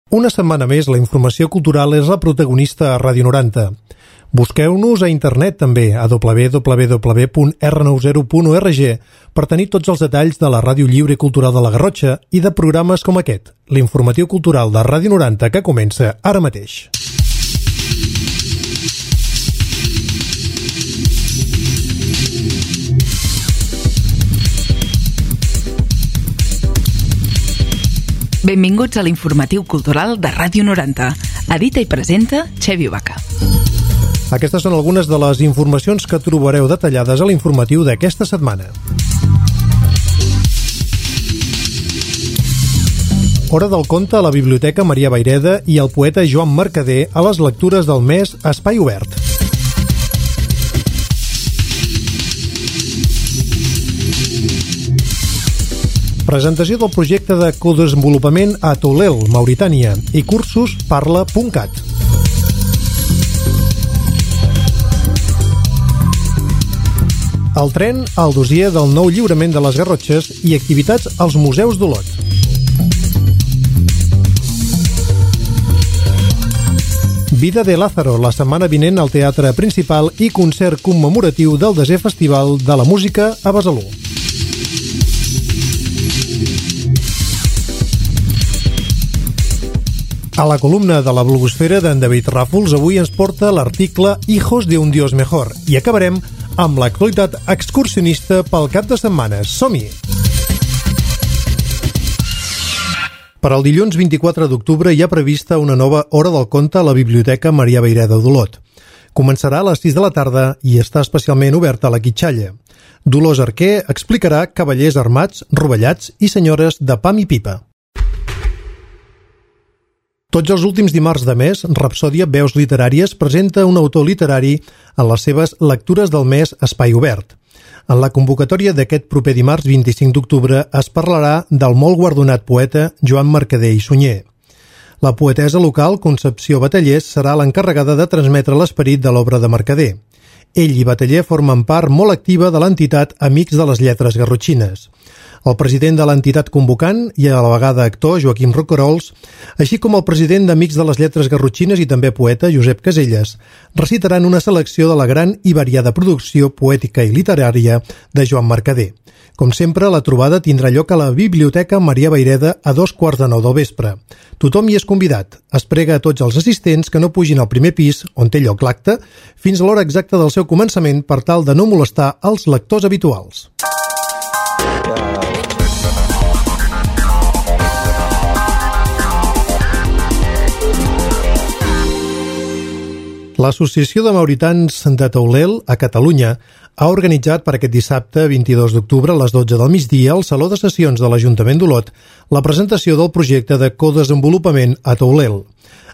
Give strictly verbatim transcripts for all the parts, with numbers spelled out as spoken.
Una setmana més, la informació cultural és la protagonista a Ràdio noranta. Busqueu-nos a internet també, a w w w punt r noranta punt org, per tenir tots els detalls de la Ràdio Lliure i Cultural de la Garrotxa i de programes com aquest, l'informatiu cultural de Ràdio noranta, que comença ara mateix. Benvinguts a l'informatiu cultural de Ràdio noranta. Edita i presenta Xevi Vaca. Aquestes són algunes de les informacions que trobareu detallades a l'informatiu d'aquesta setmana. Hora del conte a la Biblioteca Maria Vayreda i el poeta Joan Mercader a les lectures del mes Espai Obert. Presentació del projecte de codesenvolupament a Toulel, Mauritània, i cursos parla punt cat. El tren al dossier del nou lliurament de les Garrotxes i activitats als museus d'Olot. Vida de Lázaro, la setmana vinent al Teatre Principal i concert commemoratiu del desè Festival de la Música a Besalú. A la columna de la blogosfera d'en David Ràfols avui ens porta l'article Hijos de un Dios Mejor i acabarem amb l'actualitat excursionista pel cap de setmana. Som-hi! Per al dilluns vint-i-quatre d'octubre hi ha prevista una nova Hora del Conte a la Biblioteca Maria Vayreda d'Olot. Començarà a les sis de la tarda i està especialment oberta a la Quitxalla. Dolors Arquer explicarà cavallers armats, rovellats i senyores de pam i pipa. Tots els últims dimarts de mes, Rapsòdia Veus Literàries presenta un autor literari en les seves lectures del mes Espai Obert. En la convocatòria d'aquest proper dimarts vint-i-cinc d'octubre es parlarà del molt guardonat poeta Joan Mercader i Sunyer. La poetessa local, Concepció Batallers, serà l'encarregada de transmetre l'esperit de l'obra de Mercader. Ell i Bataller formen part molt activa de l'entitat Amics de les Lletres Garrotxines. El president de l'entitat convocant i a la vegada actor, Joaquim Roquerols, així com el president d'Amics de les Lletres Garrotxines i també poeta, Josep Caselles, recitaran una selecció de la gran i variada producció poètica i literària de Joan Mercader. Com sempre, la trobada tindrà lloc a la Biblioteca Maria Vayreda a dos quarts de nou del vespre. Tothom hi és convidat. Es prega a tots els assistents que no pugin al primer pis, on té lloc l'acte, fins a l'hora exacta del seu començament per tal de no molestar els lectors habituals. L'Associació de Mauritans de Toulel, a Catalunya, ha organitzat per aquest dissabte, vint-i-dos d'octubre, a les dotze del migdia, al Saló de Sessions de l'Ajuntament d'Olot, la presentació del projecte de codesenvolupament a Toulel.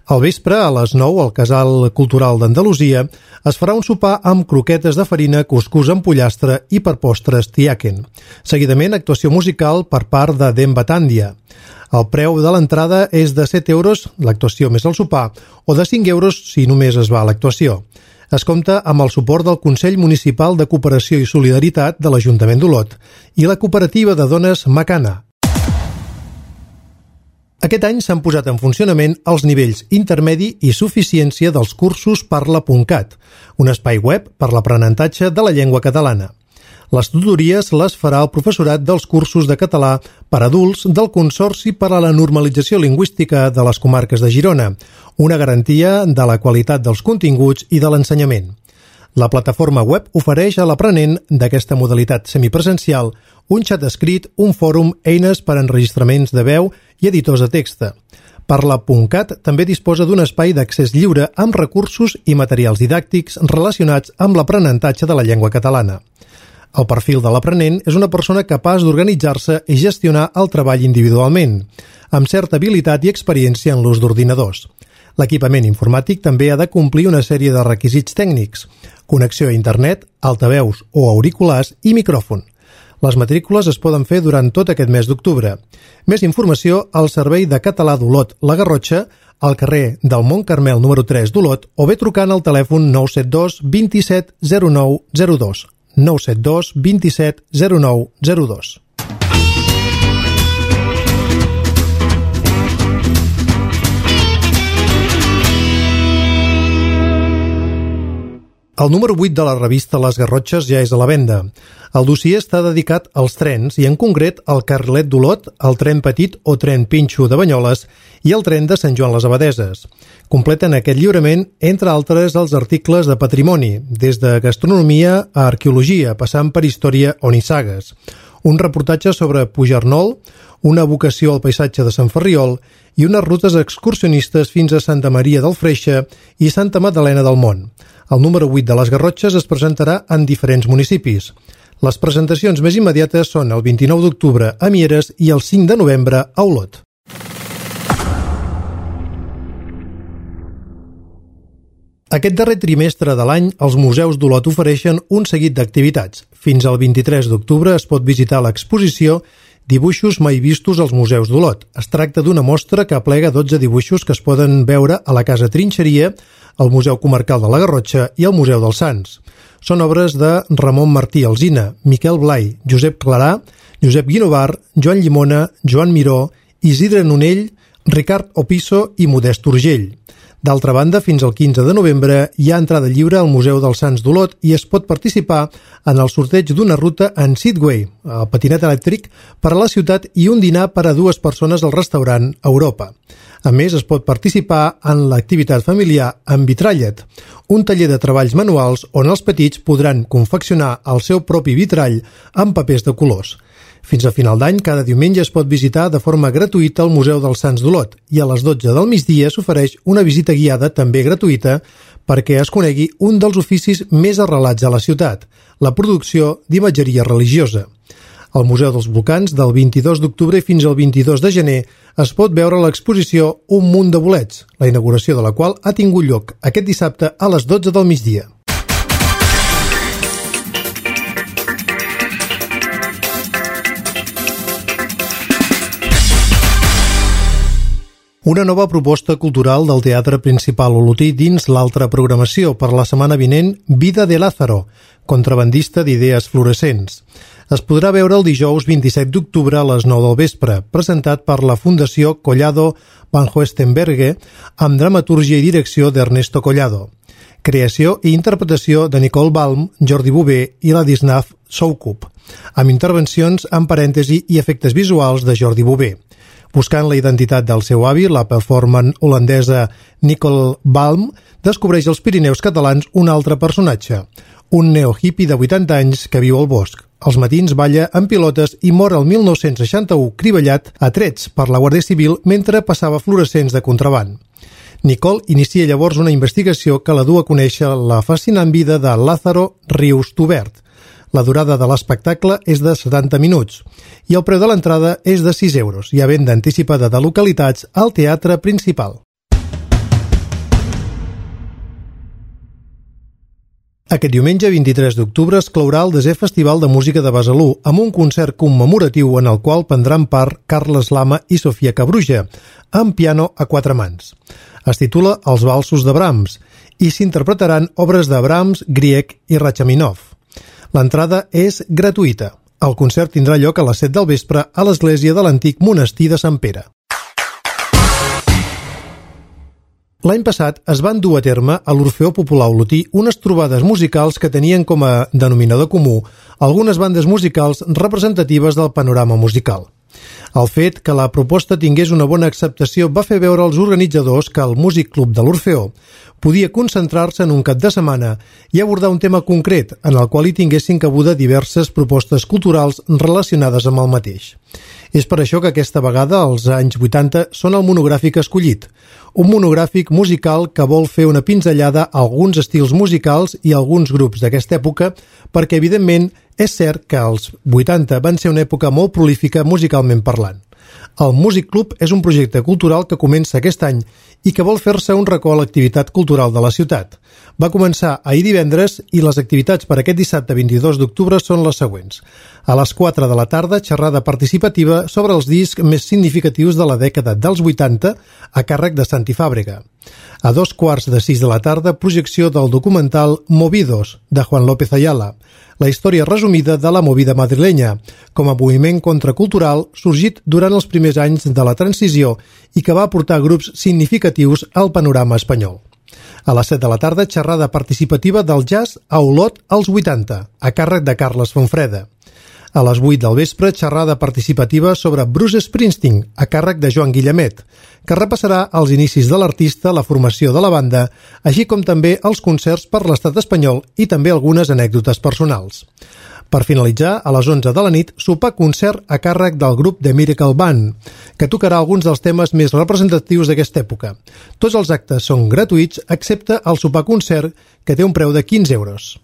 Al vespre, a les nou, al Casal Cultural d'Andalusia, es farà un sopar amb croquetes de farina, cuscús amb pollastre i per postres tiaken. Seguidament, actuació musical per part de Demba Tàndia. El preu de l'entrada és de set euros, l'actuació més el sopar, o de cinc euros si només es va a l'actuació. Es compta amb el suport del Consell Municipal de Cooperació i Solidaritat de l'Ajuntament d'Olot i la cooperativa de dones Macana. Aquest any s'han posat en funcionament els nivells intermedi i suficiència dels cursos parla punt cat, un espai web per l'aprenentatge de la llengua catalana. Les tutories les farà el professorat dels cursos de català per adults del Consorci per a la Normalització Lingüística de les Comarques de Girona, una garantia de la qualitat dels continguts i de l'ensenyament. La plataforma web ofereix a l'aprenent d'aquesta modalitat semipresencial un xat escrit, un fòrum, eines per a enregistraments de veu i editors de text. Parla punt cat també disposa d'un espai d'accés lliure amb recursos i materials didàctics relacionats amb l'aprenentatge de la llengua catalana. El perfil de l'aprenent és una persona capaç d'organitzar-se i gestionar el treball individualment, amb certa habilitat i experiència en l'ús d'ordinadors. L'equipament informàtic també ha de complir una sèrie de requisits tècnics: connexió a internet, altaveus o auriculars i micròfon. Les matrícules es poden fer durant tot aquest mes d'octubre. Més informació al Servei de Català d'Olot, la Garrotxa, al carrer del Mont Carmel número tres d'Olot, o bé trucant al telèfon nou set dos vint-i-set zero nou zero dos. nou set dos vint-i-set zero nou zero dos. El número vuit de la revista Les Garrotxes ja és a la venda. El dossier està dedicat als trens i en concret al carrilet d'Olot, el tren petit o tren Pinxo de Banyoles i el tren de Sant Joan les Abadeses. Completen aquest lliurament, entre altres, els articles de patrimoni, des de gastronomia a arqueologia, passant per història o nissagues. Un reportatge sobre Pujarnol, una vocació al paisatge de Sant Ferriol i unes rutes excursionistes fins a Santa Maria del Freixe i Santa Magdalena del Mont. El número vuit de les Garrotxes es presentarà en diferents municipis. Les presentacions més immediates són el vint-i-nou d'octubre a Mieres i el cinc de novembre a Olot. Aquest darrer trimestre de l'any, els museus d'Olot ofereixen un seguit d'activitats. Fins al vint-i-tres d'octubre es pot visitar l'exposició Dibuixos mai vistos als museus d'Olot. Es tracta d'una mostra que aplega dotze dibuixos que es poden veure a la Casa Trinxeria, al Museu Comarcal de la Garrotxa i al Museu dels Sants. Són obres de Ramon Martí Alsina, Miquel Blai, Josep Clarà, Josep Guinovar, Joan Llimona, Joan Miró, Isidre Nonell, Ricard Opisso i Modest Urgell. D'altra banda, fins al quinze de novembre hi ha entrada lliure al Museu dels Sants d'Olot i es pot participar en el sorteig d'una ruta en Segway, el patinet elèctric, per a la ciutat i un dinar per a dues persones al restaurant Europa. A més, es pot participar en l'activitat familiar amb vitrallet, un taller de treballs manuals on els petits podran confeccionar el seu propi vitrall amb papers de colors. Fins a final d'any, cada diumenge es pot visitar de forma gratuïta el Museu dels Sants d'Olot i a les dotze del migdia s'ofereix una visita guiada també gratuïta perquè es conegui un dels oficis més arrelats a la ciutat, la producció d'imatgeria religiosa. Al Museu dels Volcans, del vint-i-dos d'octubre fins al vint-i-dos de gener, es pot veure l'exposició Un munt de bolets, la inauguració de la qual ha tingut lloc aquest dissabte a les dotze del migdia. Una nova proposta cultural del Teatre Principal Olotí dins l'altra programació per la setmana vinent Vida de Lázaro, contrabandista d'idees fluorescents. Es podrà veure el dijous vint-i-set d'octubre a les nou del vespre, presentat per la Fundació Collado Van Hoestenberge amb dramatúrgia i direcció d'Ernesto Collado. Creació i interpretació de Nicole Balm, Jordi Bové i Ladisław Soukup, amb intervencions en parèntesi i efectes visuals de Jordi Bové. Buscant la identitat del seu avi, la performant holandesa Nicole Balm descobreix als Pirineus catalans un altre personatge, un neohippie de vuitanta anys que viu al bosc. Als matins balla en pilotes i mor el mil nou-cents seixanta-u criballat a trets per la Guàrdia Civil mentre passava fluorescents de contraband. Nicole inicia llavors una investigació que la du a conèixer la fascinant vida de Lázaro Rius Tubert. La durada de l'espectacle és de setanta minuts i el preu de l'entrada és de sis euros. Hi ha venda anticipada de localitats al Teatre Principal. Aquest diumenge, vint-i-tres d'octubre, es clourà el desè Festival de Música de Besalú amb un concert commemoratiu en el qual prendran part Carles Lama i Sofia Cabruja, amb piano a quatre mans. Es titula Els valsos de Brahms i s'interpretaran obres de Brahms, Grieg i Rachmaninoff. L'entrada és gratuïta. El concert tindrà lloc a les set del vespre a l'església de l'antic monestir de Sant Pere. L'any passat es van dur a terme a l'Orfeó Popular Olotí unes trobades musicals que tenien com a denominador comú algunes bandes musicals representatives del panorama musical. El fet que la proposta tingués una bona acceptació va fer veure als organitzadors que el Músic Club de l'Orfeó podia concentrar-se en un cap de setmana i abordar un tema concret en el qual hi tinguessin cabuda diverses propostes culturals relacionades amb el mateix. És per això que aquesta vegada, als anys vuitanta, són el monogràfic escollit, un monogràfic musical que vol fer una pinzellada a alguns estils musicals i a alguns grups d'aquesta època, perquè, evidentment, és cert que els vuitanta van ser una època molt prolífica musicalment parlant. El Músic Club és un projecte cultural que comença aquest any i que vol fer-se un racó a l'activitat cultural de la ciutat. Va començar ahir divendres i les activitats per aquest dissabte vint-i-dos d'octubre són les següents. A les quatre de la tarda, xerrada participativa sobre els discs més significatius de la dècada dels vuitanta a càrrec de Santi Fàbrega. A dos quarts de sis de la tarda, projecció del documental Movidos, de Juan López Ayala, la història resumida de la movida madrilenya, com a moviment contracultural sorgit durant els primers anys de la transició i que va aportar grups significatius al panorama espanyol. A les set de la tarda, xerrada participativa del jazz a Olot als vuitanta, a càrrec de Carles Fonfreda. A les vuit del vespre, xerrada participativa sobre Bruce Springsteen, a càrrec de Joan Guillemet, que repassarà els inicis de l'artista, la formació de la banda, així com també els concerts per l'estat espanyol i també algunes anècdotes personals. Per finalitzar, a les onze de la nit, sopar concert a càrrec del grup The Miracle Band, que tocarà alguns dels temes més representatius d'aquesta època. Tots els actes són gratuïts, excepte el sopar concert, que té un preu de quinze euros.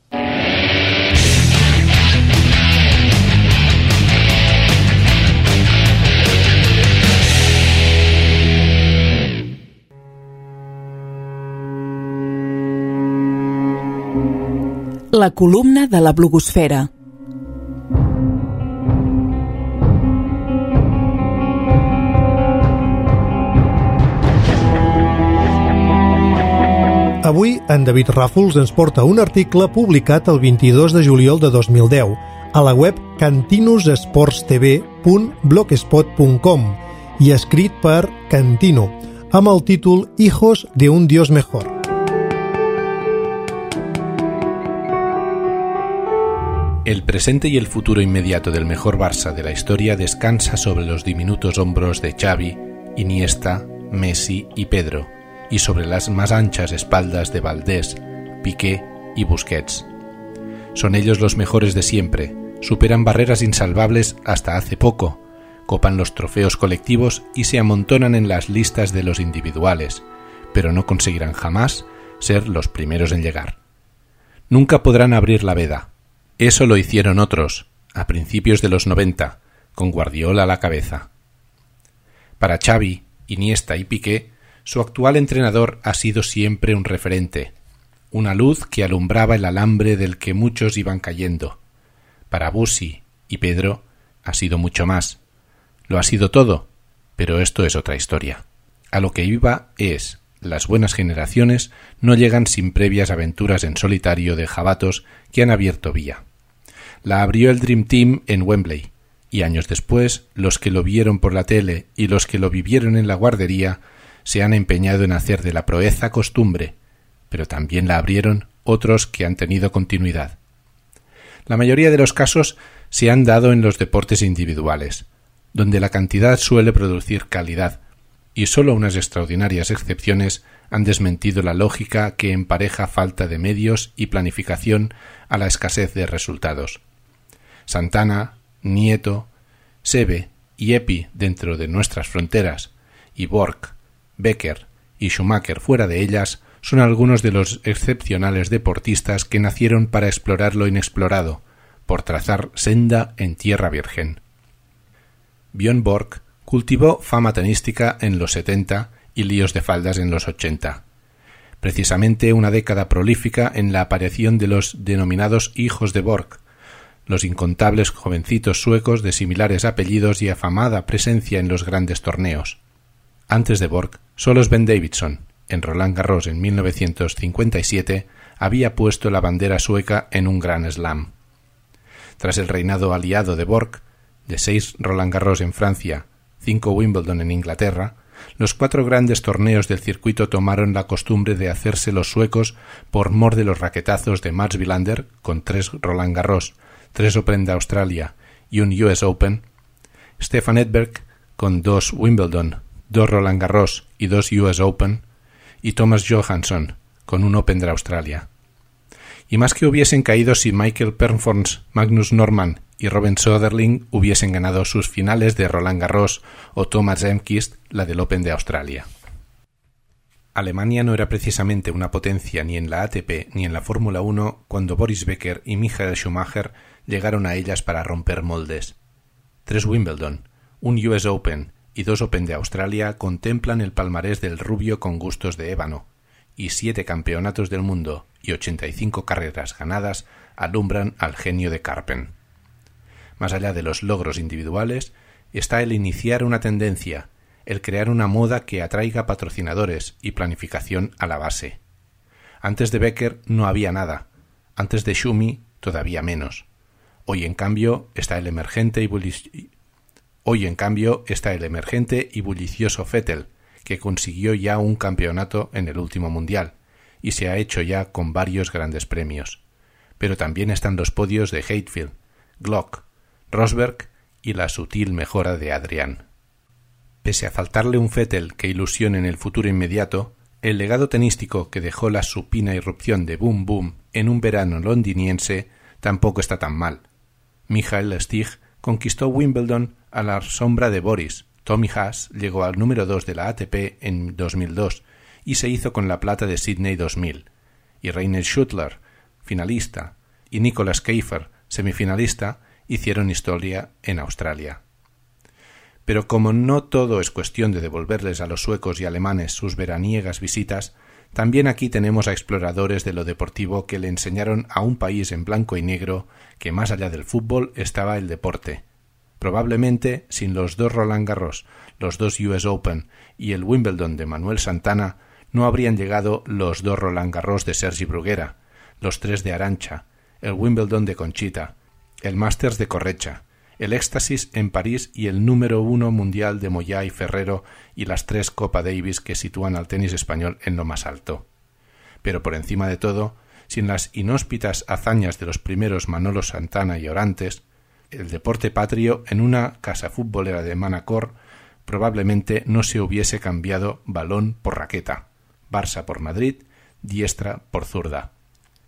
La columna de la blogosfera. Avui, en David Ràfols ens porta un article publicat el vint-i-dos de juliol de dos mil deu a la web cantinus sports t v punt blogspot punt com i escrit per Cantino, amb el títol Hijos de un Dios Mejor. El presente y el futuro inmediato del mejor Barça de la historia descansa sobre los diminutos hombros de Xavi, Iniesta, Messi y Pedro, y sobre las más anchas espaldas de Valdés, Piqué y Busquets. Son ellos los mejores de siempre, superan barreras insalvables hasta hace poco, copan los trofeos colectivos y se amontonan en las listas de los individuales, pero no conseguirán jamás ser los primeros en llegar. Nunca podrán abrir la veda. Eso lo hicieron otros, a principios de los noventa, con Guardiola a la cabeza. Para Xavi, Iniesta y Piqué, su actual entrenador ha sido siempre un referente, una luz que alumbraba el alambre del que muchos iban cayendo. Para Busi y Pedro ha sido mucho más. Lo ha sido todo, pero esto es otra historia. A lo que iba es, las buenas generaciones no llegan sin previas aventuras en solitario de jabatos que han abierto vía. La abrió el Dream Team en Wembley, y años después, los que lo vieron por la tele y los que lo vivieron en la guardería se han empeñado en hacer de la proeza costumbre, pero también la abrieron otros que han tenido continuidad. La mayoría de los casos se han dado en los deportes individuales, donde la cantidad suele producir calidad, y solo unas extraordinarias excepciones han desmentido la lógica que empareja falta de medios y planificación a la escasez de resultados. Santana, Nieto, Seve y Epi dentro de nuestras fronteras, y Borg, Becker y Schumacher fuera de ellas son algunos de los excepcionales deportistas que nacieron para explorar lo inexplorado, por trazar senda en tierra virgen. Björn Borg cultivó fama tenística en los setenta y líos de faldas en los ochenta. Precisamente una década prolífica en la aparición de los denominados hijos de Borg, los incontables jovencitos suecos de similares apellidos y afamada presencia en los grandes torneos. Antes de Borg, solo Sven Davidson, en Roland Garros en mil novecientos cincuenta y siete, había puesto la bandera sueca en un gran slam. Tras el reinado aliado de Borg, de seis Roland Garros en Francia, cinco Wimbledon en Inglaterra, los cuatro grandes torneos del circuito tomaron la costumbre de hacerse los suecos por mor de los raquetazos de Mats Wilander, con tres Roland Garros, tres Open de Australia y un U S Open, Stefan Edberg, con dos Wimbledon, dos Roland Garros y dos U S Open, y Thomas Johansson, con un Open de Australia. Y más que hubiesen caído si Michael Pernfors, Magnus Norman y Robin Söderling hubiesen ganado sus finales de Roland Garros o Thomas Enqvist la del Open de Australia. Alemania no era precisamente una potencia ni en la A T P ni en la Fórmula uno cuando Boris Becker y Michael Schumacher llegaron a ellas para romper moldes. Tres Wimbledon, un U S Open y dos Open de Australia contemplan el palmarés del rubio con gustos de ébano, y siete campeonatos del mundo y ochenta y cinco carreras ganadas alumbran al genio de Karpen. Más allá de los logros individuales, está el iniciar una tendencia, el crear una moda que atraiga patrocinadores y planificación a la base. Antes de Becker no había nada, antes de Schumi todavía menos. Hoy en cambio está el emergente y bullici... Hoy en cambio está el emergente y bullicioso Vettel, que consiguió ya un campeonato en el último mundial, y se ha hecho ya con varios grandes premios. Pero también están los podios de Heidfeld, Glock, Rosberg y la sutil mejora de Adrian. Pese a faltarle un Vettel que ilusione en el futuro inmediato, el legado tenístico que dejó la supina irrupción de Boom Boom en un verano londiniense tampoco está tan mal. Michael Stich conquistó Wimbledon a la sombra de Boris, Tommy Haas llegó al número dos de la A T P en dos mil dos y se hizo con la plata de Sydney dos mil, y Rainer Schüttler, finalista, y Nicolas Keifer, semifinalista, hicieron historia en Australia. Pero como no todo es cuestión de devolverles a los suecos y alemanes sus veraniegas visitas, también aquí tenemos a exploradores de lo deportivo que le enseñaron a un país en blanco y negro que más allá del fútbol estaba el deporte. Probablemente sin los dos Roland Garros, los dos U S Open y el Wimbledon de Manuel Santana no habrían llegado los dos Roland Garros de Sergi Bruguera, los tres de Arantxa, el Wimbledon de Conchita, el Masters de Correcha, el Éxtasis en París y el número uno mundial de Moyá y Ferrero y las tres Copa Davis que sitúan al tenis español en lo más alto. Pero por encima de todo, sin las inhóspitas hazañas de los primeros Manolo Santana y Orantes, el deporte patrio en una casa futbolera de Manacor probablemente no se hubiese cambiado balón por raqueta, Barça por Madrid, diestra por zurda.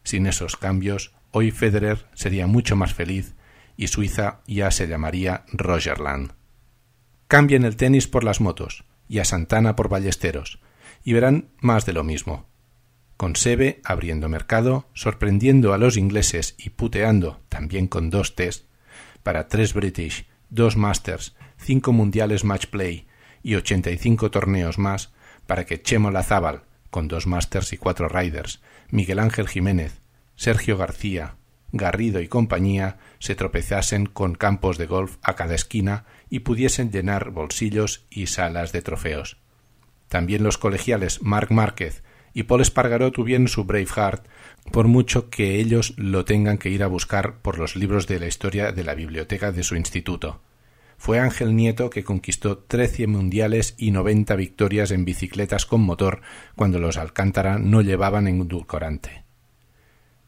Sin esos cambios, hoy Federer sería mucho más feliz y Suiza ya se llamaría Rogerland. Cambien el tenis por las motos y a Santana por Ballesteros y verán más de lo mismo. Con Seve abriendo mercado, sorprendiendo a los ingleses y puteando, también con dos test, para tres British, dos Masters, cinco mundiales match play y ochenta y cinco torneos más para que Chemo Lazábal, con dos Masters y cuatro Riders, Miguel Ángel Jiménez, Sergio García, Garrido y compañía se tropezasen con campos de golf a cada esquina y pudiesen llenar bolsillos y salas de trofeos. También los colegiales Marc Márquez y Paul Espargaró tuvieron su Braveheart, por mucho que ellos lo tengan que ir a buscar por los libros de la historia de la biblioteca de su instituto. Fue Ángel Nieto que conquistó trece mundiales y noventa victorias en bicicletas con motor cuando los Alcántara no llevaban endulcorante.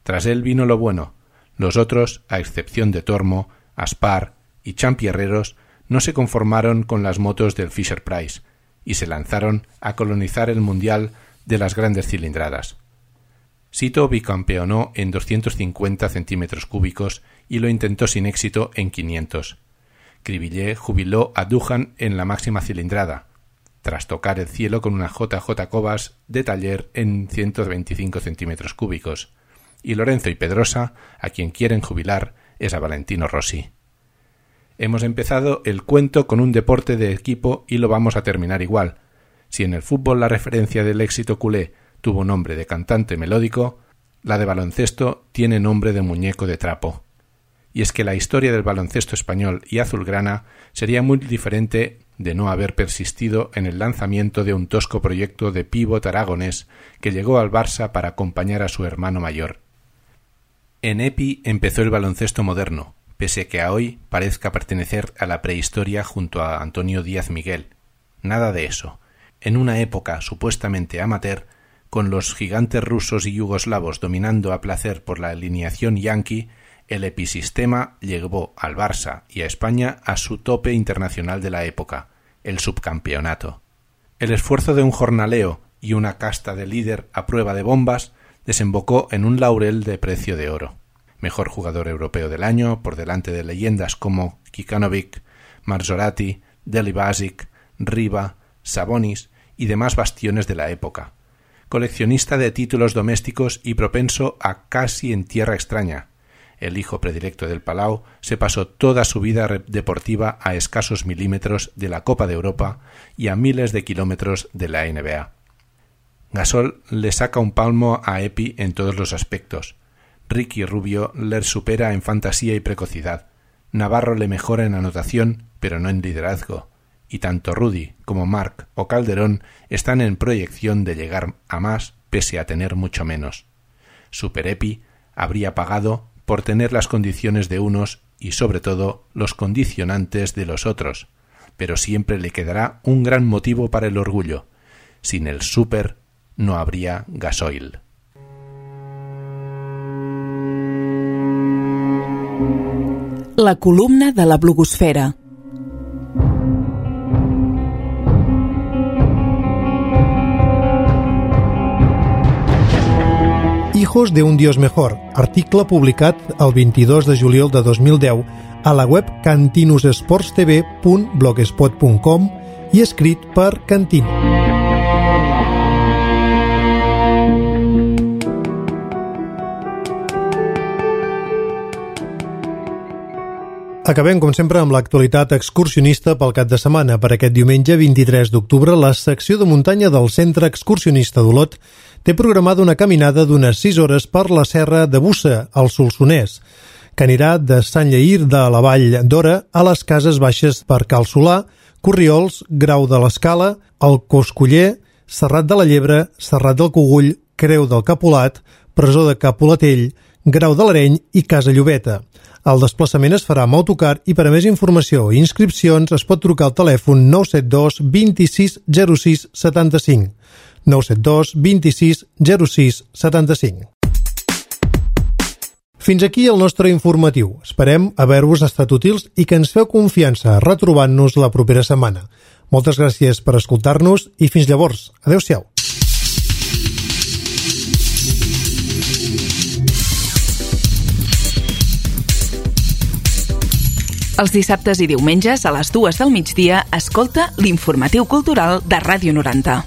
Tras él vino lo bueno. Los otros, a excepción de Tormo, Aspar y Champierreros, no se conformaron con las motos del Fisher-Price y se lanzaron a colonizar el mundial de las grandes cilindradas. Sito bicampeonó en doscientos cincuenta centímetros cúbicos y lo intentó sin éxito en quinientos. Cribillet jubiló a Duhan en la máxima cilindrada, tras tocar el cielo con una J J Cobas de taller en ciento veinticinco centímetros cúbicos, y Lorenzo y Pedrosa, a quien quieren jubilar, es a Valentino Rossi. Hemos empezado el cuento con un deporte de equipo y lo vamos a terminar igual. Si en el fútbol la referencia del éxito culé tuvo nombre de cantante melódico, la de baloncesto tiene nombre de muñeco de trapo. Y es que la historia del baloncesto español y azulgrana sería muy diferente de no haber persistido en el lanzamiento de un tosco proyecto de pívot aragonés que llegó al Barça para acompañar a su hermano mayor. En Epi empezó el baloncesto moderno, pese a que a hoy parezca pertenecer a la prehistoria junto a Antonio Díaz Miguel. Nada de eso. En una época supuestamente amateur, con los gigantes rusos y yugoslavos dominando a placer por la alineación yanqui, el episistema llevó al Barça y a España a su tope internacional de la época, el subcampeonato. El esfuerzo de un jornaleo y una casta de líder a prueba de bombas desembocó en un laurel de precio de oro. Mejor jugador europeo del año, por delante de leyendas como Kikanovic, Marzorati, Deli Basic, Riva, Sabonis y demás bastiones de la época. Coleccionista de títulos domésticos y propenso a casi en tierra extraña. El hijo predilecto del Palau se pasó toda su vida deportiva a escasos milímetros de la Copa de Europa y a miles de kilómetros de la N B A. Gasol le saca un palmo a Epi en todos los aspectos. Ricky Rubio le supera en fantasía y precocidad. Navarro le mejora en anotación, pero no en liderazgo. Y tanto Rudy como Marc o Calderón están en proyección de llegar a más pese a tener mucho menos. Super Epi habría pagado por tener las condiciones de unos y sobre todo los condicionantes de los otros, pero siempre le quedará un gran motivo para el orgullo. Sin el Super no habría gasoil. La columna de la blogosfera. Hijos de un Dios mejor, article publicat el vint-i-dos de juliol de dos mil deu a la web cantinusesportstv punt blogspot punt com i escrit per Cantino. Acabem, com sempre, amb l'actualitat excursionista pel cap de setmana. Per aquest diumenge vint-i-tres d'octubre, la secció de muntanya del Centre Excursionista d'Olot té programada una caminada d'unes sis hores per la serra de Bussa, al Solsonès, que anirà de Sant Lleïr de la Vall d'Ora a les Cases Baixes per Cal Solà, Corriols, Grau de l'Escala, el Coscoller, Serrat de la Llebre, Serrat del Cogull, Creu del Capolat, Presó de Capolatell, Grau de l'Areny i Casa Llobeta. El desplaçament es farà amb autocar i per a més informació i inscripcions es pot trucar al telèfon nou set dos vint-i-sis zero sis setanta-cinc. nou set dos vint-i-sis zero sis setanta-cinc. Fins aquí el nostre informatiu. Esperem haver-vos estat útils i que ens feu confiança retrobant-nos la propera setmana. Moltes gràcies per escoltar-nos i fins llavors. Adéu-siau. Els dissabtes i diumenges a les dues del migdia escolta l'Informatiu Cultural de Ràdio noranta.